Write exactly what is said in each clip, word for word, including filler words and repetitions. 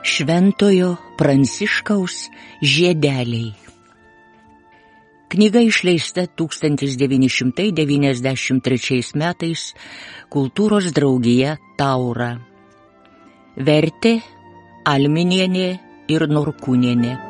Šventojo Pranciškaus žiedeliai. Knyga išleista tūkstantis devyni šimtai devyniasdešimt trečiais metais Kultūros draugija Taura. Vertė Alminienė ir Norkūnienė.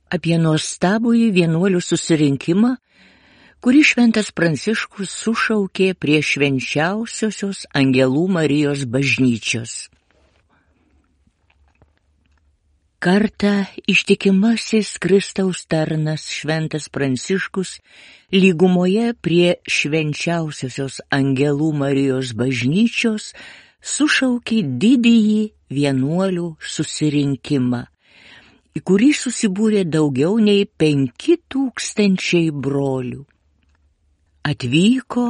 Apie nuostabųjį vienuolių susirinkimą, kurį šventas Pranciškus sušaukė prie švenčiausiosios Angelų Marijos bažnyčios. Kartą ištikimasis Kristaus tarnas šventas Pranciškus lygumoje prie švenčiausiosios Angelų Marijos bažnyčios sušaukė didįjį vienuolių susirinkimą, į kurį susibūrė daugiau nei penki tūkstančiai brolių. Atvyko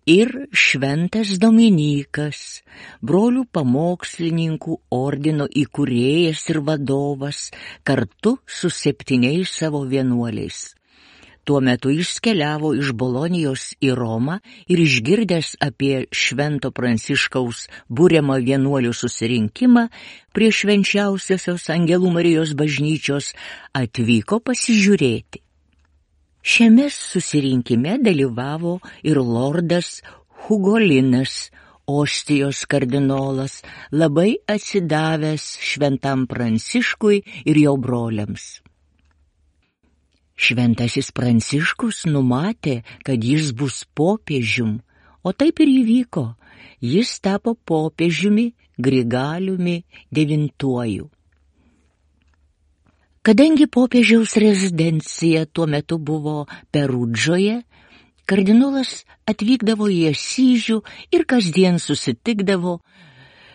ir šventas Dominykas, brolių pamokslininkų ordino įkūrėjas ir vadovas, kartu su septyniais savo vienuoliais. Tuo metu jis keliavo iš Bolonijos į Romą ir išgirdęs apie švento Pranciškaus buriamą vienuolių susirinkimą prie švenčiausiosios Angelų Marijos bažnyčios atvyko pasižiūrėti. Šiame susirinkime dalyvavo ir lordas Hugolinas, Ostijos kardinolas, labai atsidavęs šventam Pranciškui ir jo broliams. Šventasis Pranciškus numatė, kad jis bus popiežium, o taip ir įvyko. Jis tapo popiežiumi Grigaliumi devintuoju. Kadangi popiežiaus rezidencija tuo metu buvo Perudžoje, kardinolas atvykdavo į Asyžių ir kasdien susitikdavo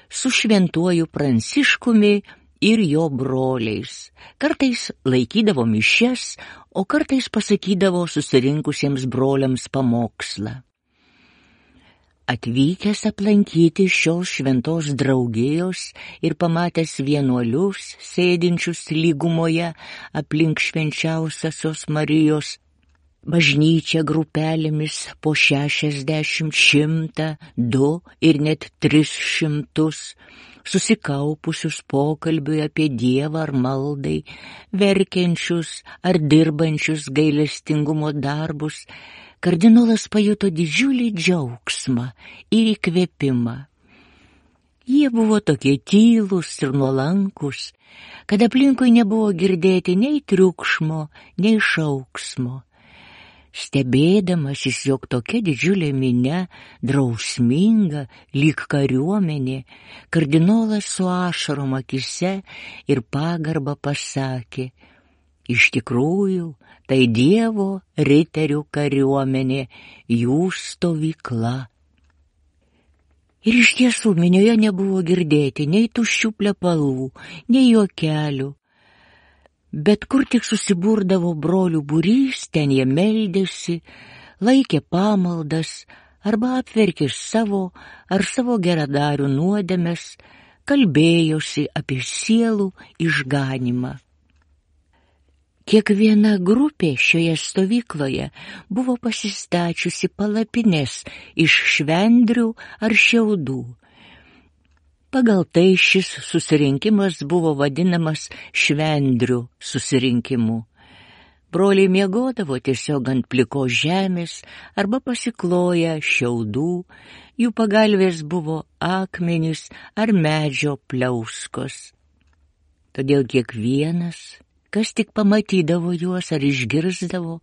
su šventuoju Pranciškumi ir jo broliais. Kartais laikydavo mišias, o kartais pasakydavo susirinkusiems broliams pamokslą. Atvykęs aplankyti šios šventos draugijos ir pamatęs vienuolius sėdinčius lygumoje aplink švenčiausiosios Marijos bažnyčią grupelėmis po šešiasdešimt, šimtą, du ir net tris šimtus, susikaupusius pokalbiui apie Dievą ar maldai, verkiančius ar dirbančius gailestingumo darbus, kardinolas pajuto didžiulį džiaugsmą ir įkvėpimą. Jie buvo tokie tylūs ir nuolankus, kad aplinkui nebuvo girdėti nei triukšmo, nei šauksmo. Stebėdamasis, jog tokia didžiulė minia, drausminga, lyg kariuomenė, kardinolas su ašarom akyse ir pagarba pasakė: iš tikrųjų, tai Dievo riterių kariuomenė, jų stovykla. Ir iš tiesų minioje nebuvo girdėti nei tuščių plepalų, nei juokelių. Bet kur tik susiburdavo brolių būrys, ten jie meldėsi, laikė pamaldas arba apverkė savo ar savo geradarių nuodėmes, kalbėjosi apie sielų išganymą. Kiekviena grupė šioje stovykloje buvo pasistačiusi palapines iš švendrių ar šiaudų. Pagal tai šis susirinkimas buvo vadinamas švendrių susirinkimu. Broliai miegodavo tiesiog ant plikos žemės arba pasikloję šiaudų, jų pagalvės buvo akmenys ar medžio pliauskos. Todėl kiekvienas, kas tik pamatydavo juos ar išgirsdavo,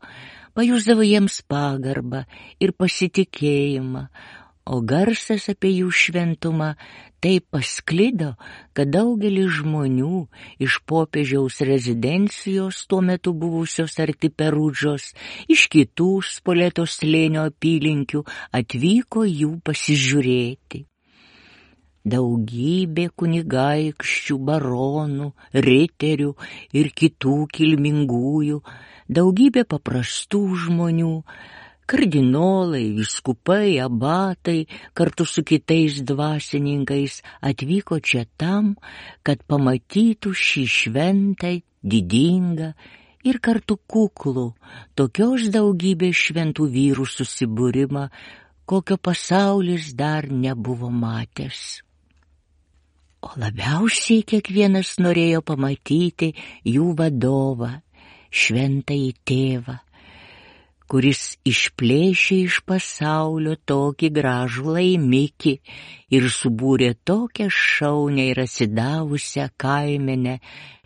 pajusdavo jiems pagarbą ir pasitikėjimą, o garsas apie jų šventumą taip pasklido, kad daugelis žmonių iš popiežiaus rezidencijos tuo metu buvusios arti Perudžos, iš kitų Spoleto slėnio apylinkių atvyko jų pasižiūrėti. Daugybė kunigaikščių, baronų, riterių ir kitų kilmingųjų, daugybė paprastų žmonių, kardinolai, vyskupai, abatai kartu su kitais dvasininkais atvyko čia tam, kad pamatytų šį šventą, didingą ir kartu kuklų, tokios daugybės šventų vyrų susibūrimą, kokio pasaulis dar nebuvo matęs. O labiausiai kiekvienas norėjo pamatyti jų vadovą, šventąjį tėvą, kuris išplėšė iš pasaulio tokį gražų laimikį ir subūrė tokią šaunią ir atsidavusią kaimenę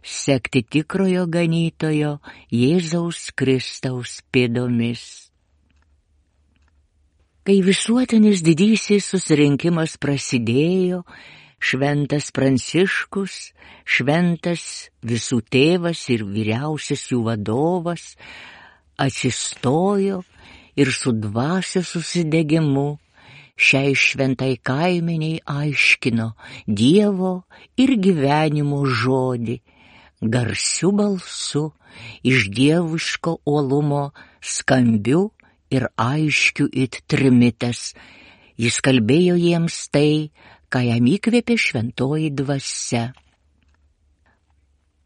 sekti tikrojo ganytojo Jėzaus Kristaus pėdomis. Kai visuotinis didysis susirinkimas prasidėjo, šventas Pranciškus, šventas visų tėvas ir vyriausias jų vadovas, atsistojo ir su dvasios susidegimu šiai šventai kaimeniai aiškino Dievo ir gyvenimo žodį, garsiu balsu, iš dieviško uolumo, skambiu ir aiškiu it trimitas. Jis kalbėjo jiems tai, ką jam įkvėpė šventoji dvasia.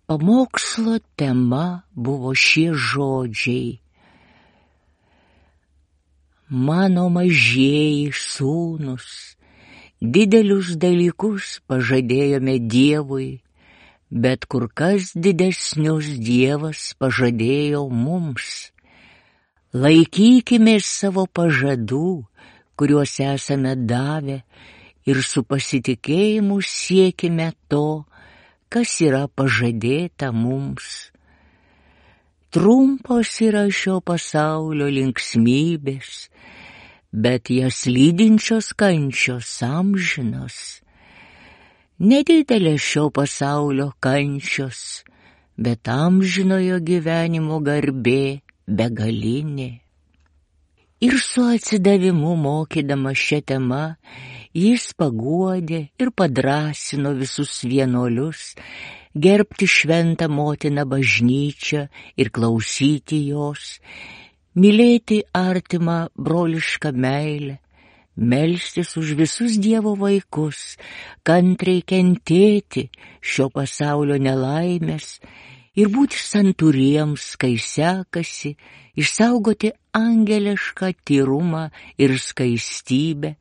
Pamokslo tema buvo šie žodžiai. Mano mažieji sūnus, didelius dalykus pažadėjome Dievui, bet kur kas didesnius Dievas pažadėjo mums. Laikykime savo pažadų, kuriuos esame davę, ir su pasitikėjimu siekime to, kas yra pažadėta mums. Trumpos yra šio pasaulio linksmybės, bet jas lydinčios kančios amžinos. Nedidelės šio pasaulio kančios, bet amžinojo gyvenimo garbė begalinė. Ir su atsidavimu mokydama šią temą, jis paguodė ir padrąsino visus vienuolius gerbti šventą motiną bažnyčią ir klausyti jos, mylėti artimą brolišką meilę, melstis už visus Dievo vaikus, kantriai kentėti šio pasaulio nelaimės ir būti santūriems, kai sekasi, išsaugoti angelišką tyrumą ir skaistybę,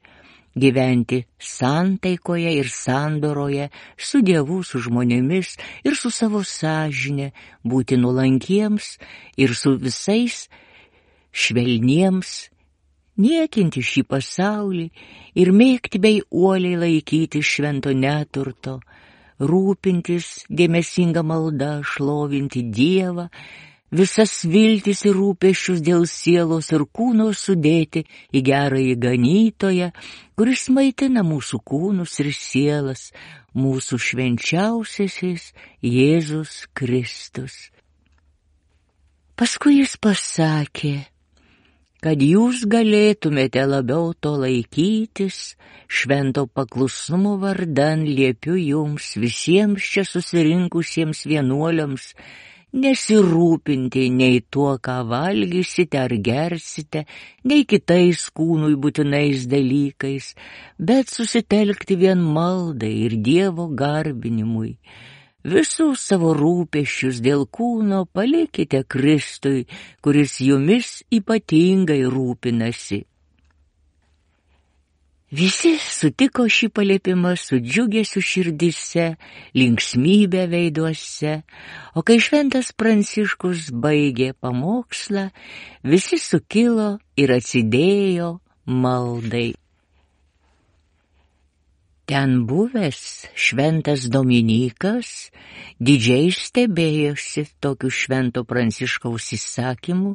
gyventi santaikoje ir sandoroje su Dievu, su žmonėmis ir su savo sąžine, būti nuolankiems ir su visais švelniems, niekinti šį pasaulį ir mėgti bei uoliai laikyti švento neturto, rūpintis dėmesinga malda, šlovinti Dievą, visas viltis ir rūpesčius dėl sielos ir kūno sudėti į gerąjį ganytoją, kuris maitina mūsų kūnus ir sielas, mūsų švenčiausiasis Jėzus Kristus. Paskui jis pasakė, kad jūs galėtumėte labiau to laikytis, švento paklusnumo vardan liepiu jums visiems čia susirinkusiems vienuoliams nesirūpinti nei tuo, ką valgysite ar gersite, nei kitais kūnui būtinais dalykais, bet susitelkti vien maldai ir Dievo garbinimui. Visus savo rūpesčius dėl kūno palikite Kristui, kuris jumis ypatingai rūpinasi. Visi sutiko šį paliepimą su džiugesiu širdise, linksmybė veiduose, o kai šventas Pranciškus baigė pamokslą, visi sukilo ir atsidėjo maldai. Ten buvęs šventas Dominykas didžiai stebėjosi tokiu švento Pranciškaus įsakymu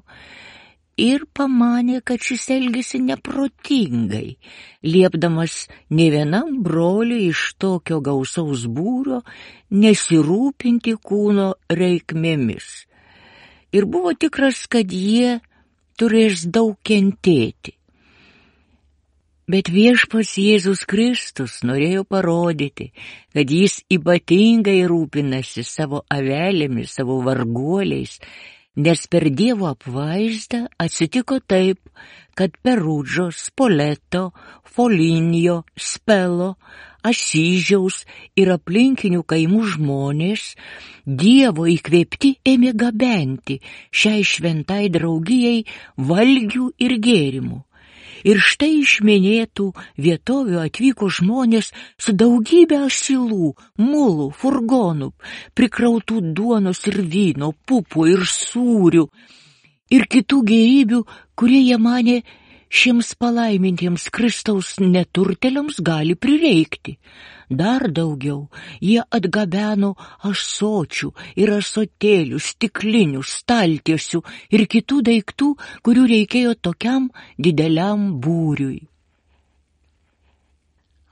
ir pamanė, kad šis elgėsi neprotingai, liepdamas ne vienam broliui iš tokio gausaus būrio nesirūpinti kūno reikmėmis. Ir buvo tikras, kad jie turės daug kentėti. Bet viešpats Jėzus Kristus norėjo parodyti, kad jis ypatingai rūpinasi savo avelėmis, savo varguoliais, nes per Dievo apvaizdą atsitiko taip, kad Perudžo, Spoleto, Folinio, Spelo, Asyžiaus ir aplinkinių kaimų žmonės Dievo įkvėpti ėmė gabenti šiai šventai draugijai valgių ir gėrimų. Ir štai iš minėtų vietovių atvyko žmonės su daugybė asilų, mulų, furgonų, prikrautų duonos ir vyno, pupų ir sūrių ir kitų gėrybių, kurie jie manė šiems palaimintiems Kristaus neturtėliams gali prireikti. Dar daugiau, jie atgabeno ąsočių ir ąsotėlių, stiklinių, staltiesių ir kitų daiktų, kurių reikėjo tokiam dideliam būriui.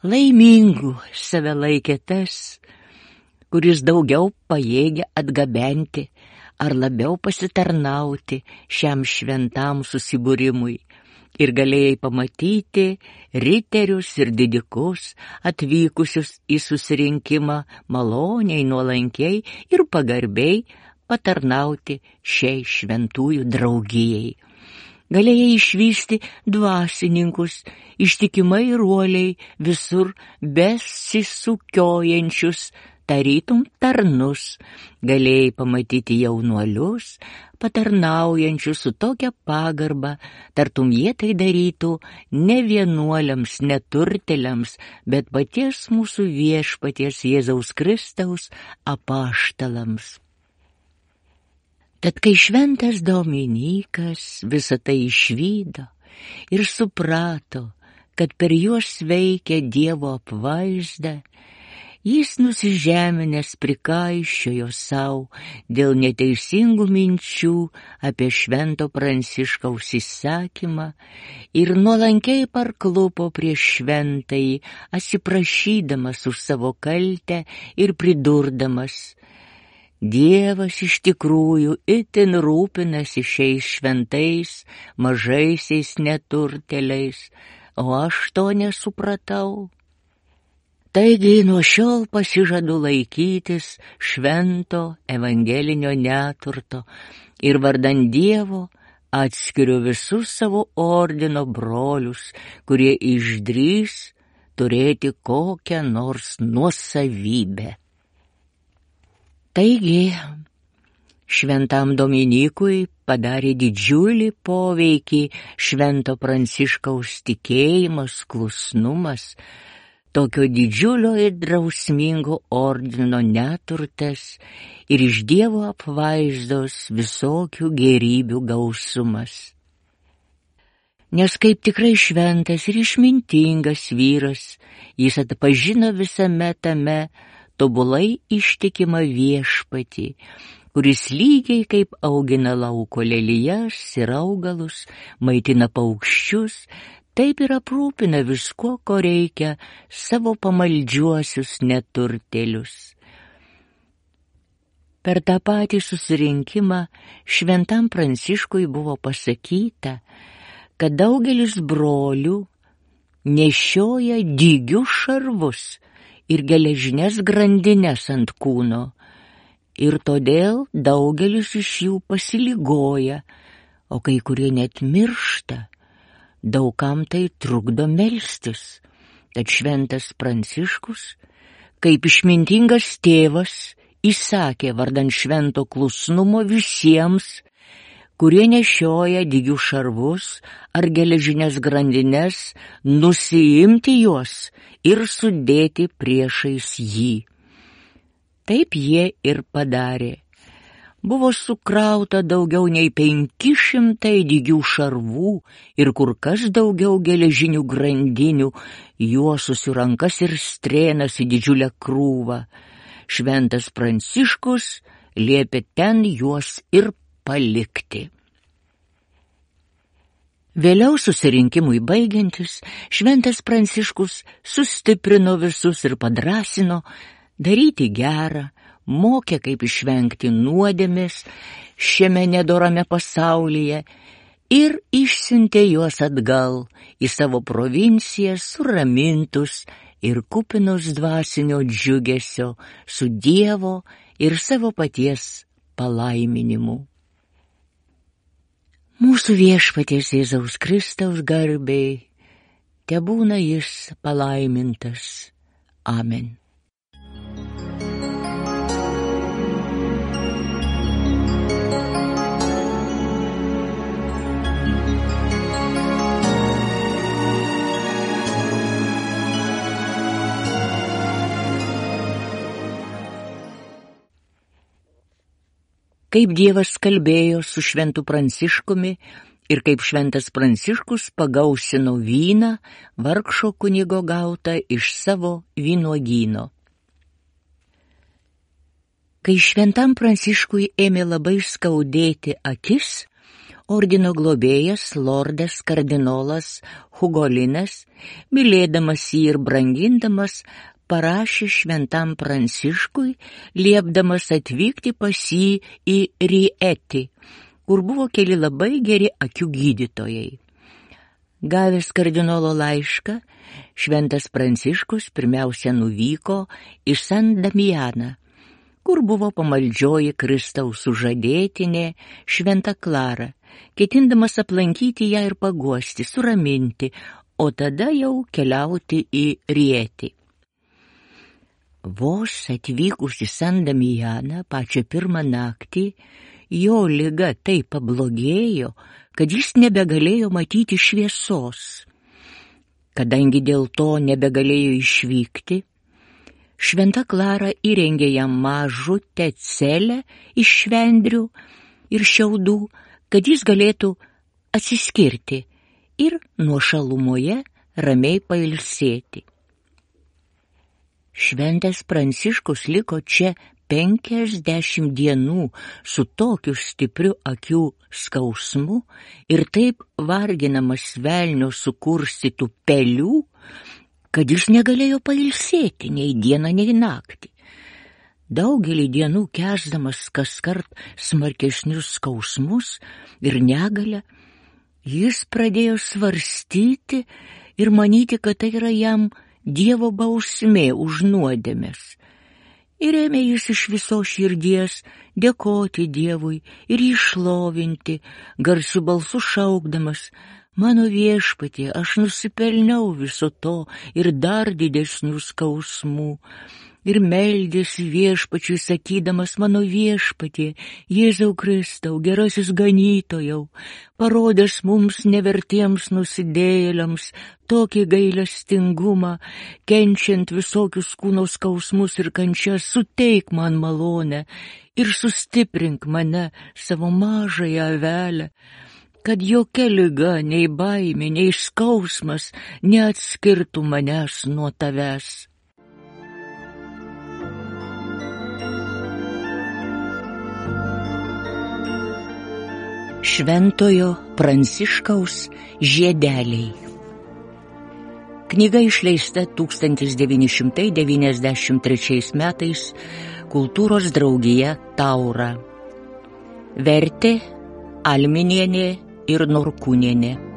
Laimingu save laikė tas, kuris daugiau pajėgia atgabenti ar labiau pasitarnauti šiam šventam susibūrimui. Ir galėjai pamatyti riterius ir didikus atvykusius į susirinkimą maloniai, nuolankiai ir pagarbiai patarnauti šiai šventųjų draugijai. Galėjai išvysti dvasininkus, ištikimai ir uoliai visur besisukiojančius, tarytum tarnus. Galėjai pamatyti jaunuolius, patarnaujančius su tokia pagarba, tartum jie tai darytų ne vienuoliams, neturtėliams, bet paties mūsų viešpaties Jėzaus Kristaus apaštalams. Tad kai šventas Dominykas visą tai išvydo ir suprato, kad per juos veikia Dievo apvaizda, jis nusižeminęs prikaiščiojo savo dėl neteisingų minčių apie švento Pranciškaus įsakymą ir nuolankiai parklupo prieš šventąjį, atsiprašydamas už savo kaltę ir pridurdamas: Dievas iš tikrųjų itin rūpinasi šiais šventais, mažaisiais neturtėliais, o aš to nesupratau. Taigi nuo šiol pasižadu laikytis švento evangelinio neturto ir vardan Dievo atskiriu visus savo ordino brolius, kurie išdrįs turėti kokią nors nuosavybę. Taigi, šventam Dominykui padarė didžiulį poveikį švento Pranciškaus tikėjimas, klusnumas, tokio didžiulio ir drausmingo ordino neturtas ir iš Dievo apvaizdos visokių gėrybių gausumas. Nes kaip tikrai šventas ir išmintingas vyras, jis atpažino visame tame tobulai ištikimą viešpatį, kuris lygiai kaip augina lauko lelijas ir augalus, maitina paukščius, taip ir aprūpina viskuo, ko reikia savo pamaldžiuosius neturtėlius. Per tą patį susirinkimą šventam Pranciškui buvo pasakyta, kad daugelis brolių nešioja dygius šarvus ir geležines grandines ant kūno, ir todėl daugelis iš jų pasiligoja, o kai kurie net miršta. Daugam tai trukdo melstis, tad šventas Pranciškus, kaip išmintingas tėvas, įsakė vardan švento klusnumo visiems, kurie nešioja dygių šarvus ar geležines grandines, nusiimti juos ir sudėti priešais jį. Taip jie ir padarė. Buvo sukrauta daugiau nei penki šimtai dygių šarvų ir kur kas daugiau geležinių grandinių, juosusių rankas ir strėnas į didžiulę krūvą. Šventas Pranciškus liepė ten juos ir palikti. Vėliau susirinkimui baigiantis, šventas Pranciškus sustiprino visus ir padrąsino daryti gerą, mokė, kaip išvengti nuodėmės šiame nedorame pasaulyje ir išsiuntė juos atgal į savo provinciją suramintus ir kupinus dvasinio džiugesio su Dievo ir savo paties palaiminimu. Mūsų Viešpaties Jėzaus Kristaus garbei, tebūna jis palaimintas. Amen. Kaip Dievas kalbėjo su šventu Pranciškumi ir kaip šventas Pranciškus pagausino vyną vargšo kunigo gautą iš savo vynuogyno. Kai šventam Pranciškui ėmė labai skaudėti akis, ordino globėjas lordas kardinolas Hugolinas, mylėdamas jį ir brangindamas, parašė šventam Pranciškui, liepdamas atvykti pas jį į Rietį, kur buvo keli labai geri akių gydytojai. Gavęs kardinolo laišką, šventas Pranciškus pirmiausia nuvyko į San Damianą, kur buvo pamaldžioji Kristaus sužadėtinė šventa Klara, ketindamas aplankyti ją ir paguosti, suraminti, o tada jau keliauti į Rietį. Vos atvykus į San Damianą pačią pirmą naktį, jo liga taip pablogėjo, kad jis nebegalėjo matyti šviesos. Kadangi dėl to nebegalėjo išvykti, šventa Klara įrengė jam mažutę celę iš švendrių ir šiaudų, kad jis galėtų atsiskirti ir nuošalumoje ramiai pailsėti. Šventas Pranciškus liko čia penkiasdešimt dienų su tokiu stipriu akių skausmu ir taip varginamas velnio sukurstytų pelių, kad jis negalėjo pailsėti nei dieną, nei naktį. Daugelį dienų kęsdamas kaskart smarkesnius skausmus ir negalę, jis pradėjo svarstyti ir manyti, kad tai yra jam Dievo bausmė už nuodėmes. Ir ėmė jis iš visos širdies dėkoti Dievui ir jį šlovinti, garsiu balsu šaukdamas: mano Viešpatie, aš nusipelniau viso to ir dar didesnių skausmų. Ir meldėsi Viešpačiui sakydamas: mano Viešpatie, Jėzau Kristau, gerasis ganytojau, parodęs mums nevertiems nusidėjėliams tokį gailestingumą, kenčiant visokius kūno skausmus ir kančias, suteik man malonę ir sustiprink mane, savo mažąją avelę, kad jokia liga, nei baimė, nei skausmas neatskirtų manęs nuo tavęs. Šventojo Pranciškaus žiedeliai. Knyga išleista tūkstantis devyni šimtai devyniasdešimt trečiais metais Kultūros draugija Taura. Vertė Alminienė ir Norkūnienė.